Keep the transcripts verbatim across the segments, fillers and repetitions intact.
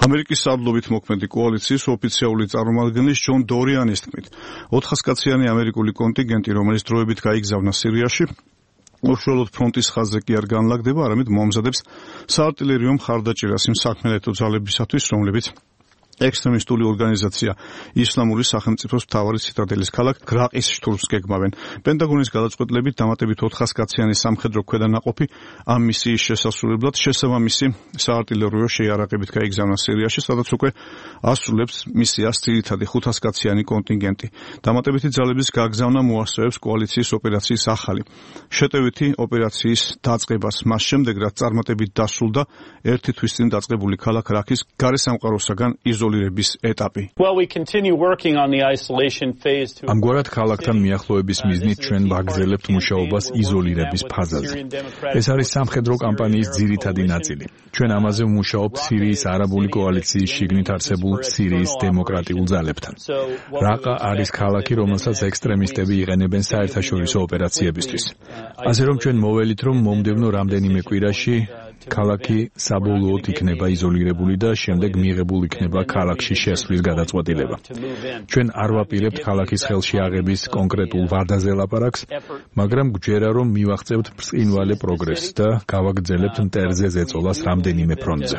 ამერიკის სარდლობით მოქმედი კოალიციის ოფიციალური წარმომადგენლის ჯონ დორიანის თქმით, ოთხასკაციანი ამერიკული კონტინგენტი, რომელიც დროებით გაიგზავნა სირიაში, უშუალოდ ფრონტის ხაზზე კი არ განლაგდება, არამედ მომზადებს საარტილერიო მხარდაჭერას იმ საქმიანობათა ძალებისათვის, რომლებიც ექსტრემისტული ორგანიზაცია ისლამური სახელმწიფოს მთავარი ციტადელის ქალაქ გრაყის შტურმს გეგმავენ. პენტაგონის გადაწყვეტილებით დამატებით ოთხასკაციანი სამხედრო ქვედანაყოფი ამ მისიის შესასრულებლად შესაბამისი საარტილერიო შეიარაღებით გაიგზავნა სირიაში, სადაც უკვე ასრულებს მისიას ძირითადი ხუთასკაციანი კონტინგენტი. დამატებითი ძალების გაგზავნა მოასწრებს კოალიციის ოპერაციის ახალი, შეტევითი ოპერაციის დაწყებას მას შემდეგ, რაც წარმატებით დასრულდა ერთი თვის წინ დაწყებული ქალაქ რაქის გარესამყაროსაგან იზოლირების ეტაპი. ამგვარად ქალაქთან მიახლოების მიზნით ჩვენ ვაგრძელებთ მუშაობას იზოლირების ფაზაზე. ეს არის სამხედრო კამპანიის ძირითადი ნაწილი. ჩვენ ამაზე ვმუშაობთ სირიის არაბული კოალიციის შიგნით არსებულ სირიის დემოკრატიულ ძალებთან. რაყა არის ქალაქი, რომელსაც ექსტრემისტები იყენებენ საერთაშორისო ოპერაციებისთვის. ასე რომ ჩვენ მოველით, რომ მომდევნო რამდენიმე კვირაში ქალაქი საბოლოოდ იქნება იზოლირებული და შემდეგ მიღებულ იქნება ქალაქში შესვლის გადაწყვეტილება. ჩვენ არ ვაპირებთ ქალაქის ხელში აღების კონკრეტულ ვადაზე ლაპარაკს, მაგრამ გვჯერა, რომ მივაღწევთ ბრწყინვალე პროგრესს და გავაგრძელებთ მტერზე ზეწოლას რამდენიმე ფრონტზე.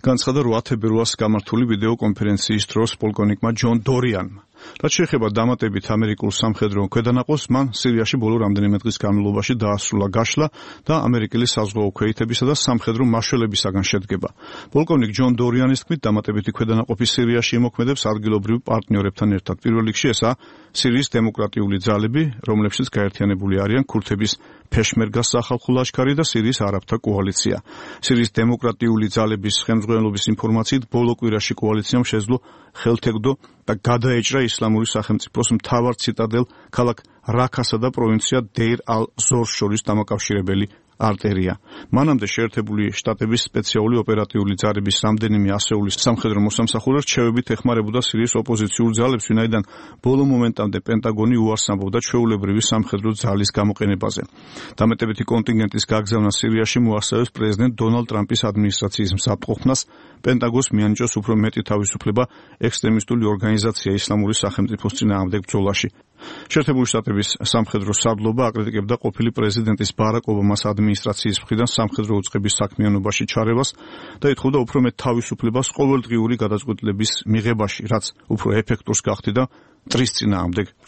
განცხადა რვა თებერვალს გამართული ვიდეო კონფერენციის დროს პოლკოვნიკმა ჯონ დორიანმა. რაც შეეხება დამატებით ამერიკულ სამხედრო ქვედანაყოფს, მან სირიაში ბოლო რამდენიმე დღის განმავლობაში დაასრულა გაშლა და ამერიკელი საზღვაო ქვეითებისა და სამხედრო მაშველებისაგან შედგება. პოლკოვნიკ ჯონ დორიანის თქმით, დამატებითი ქვედანაყოფი სირიაში იმოქმედებს ადგილობრივ პარტნიორებთან ერთად. პირველ რიგში ესაა სირიის დემოკრატიული ძალები, რომლებშიც გაერთიანებული არიან ქურთების ფეშმერგას სახალხო ლაშქარი და სირიის არაბთა კოალიცია. სირიის დემოკრატიული ძალების ხელმძღვანელობის ინფორმაციით, ბოლო კვირაში კოალიციამ შეძლო ხელთეგდო და გადაეჭრა ისლამური სახელმწიფოს მთავარ ციტადელ ქალაქ რაქასა და პროვინცია დეირ ალ-ზორს შორის დამაკავშირებელი არტერია. მანამდე შეერთებული შტატების სპეციალური ოპერატიული ძალების რამდენიმე ასეულის სამხედრო მოსამსახურე რჩევებით ეხმარებოდა სირიის ოპოზიციურ ძალებს, ვინაიდან ბოლო მომენტამდე პენტაგონი უარს ამბობდა ჩვეულებრივი სამხედრო ძალის გამოყენებაზე. დამატებითი კონტინგენტის გაგზავნა სირიაში მოასწავებს პრეზიდენტ დონალდ ტრამპის ადმინისტრაციის მზადყოფნას პენტაგონს მიანიჭოს უფრო მეტი თავისუფლება ექსტრემისტული ორგანიზაცია ისლამური სახელმწიფოს წინააღმდეგ ბრძოლაში. შეერთებული შტატების სამხედრო სარდლობა აკრიტიკებდა ყოფილი პრეზიდენტის ბარაკ ობამას ადმინისტრაციის მხრიდან სამხედრო უწყების საქმიანობაში ჩარევას და ითხოვდა უფრო მეტ თავისუფლებას ყოველდღიური გადაწყვეტილების მიღებაში, რაც უფრო ეფექტურს გახდიდა მტრის წინააღმდეგ